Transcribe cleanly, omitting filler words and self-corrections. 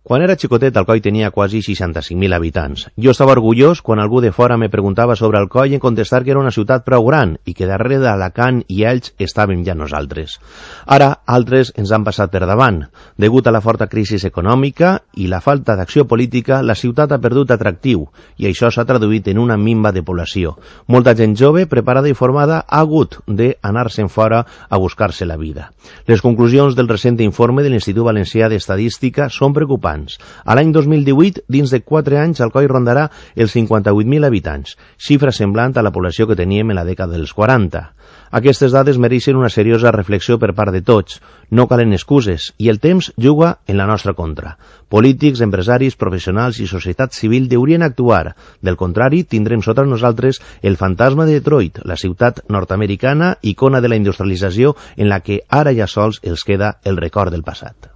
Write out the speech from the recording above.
Quan era xicotet, Alcoi tenia quasi 65.000 habitants. Jo estava orgullós quan algú de fora me preguntava sobre Alcoi en contestar que era una ciutat prou gran i que darrere d'Alacant i Elx estàvem ja nosaltres. Ara, altres ens han passat per davant. Degut a la forta crisi econòmica i la falta d'acció política, la ciutat ha perdut atractiu i això s'ha traduït en una minva de població. Molta gent jove, preparada i formada, ha hagut d'anar-se'n fora a buscar-se la vida. Les conclusions del recent informe de l'Institut Valencià d'Estadística són preocupants. A l'any 2018, dins de 4 anys, Alcoi rondarà els 58.000 habitants, xifra semblant a la població que teníem en la dècada dels 40. Aquestes dades mereixen una seriosa reflexió per part de tots. No calen excuses i el temps juga en la nostra contra. Polítics, empresaris, professionals i societat civil deurien actuar. Del contrari, tindrem sota nosaltres el fantasma de Detroit, la ciutat nord-americana, icona de la industrialització en la que ara ja sols els queda el record del passat.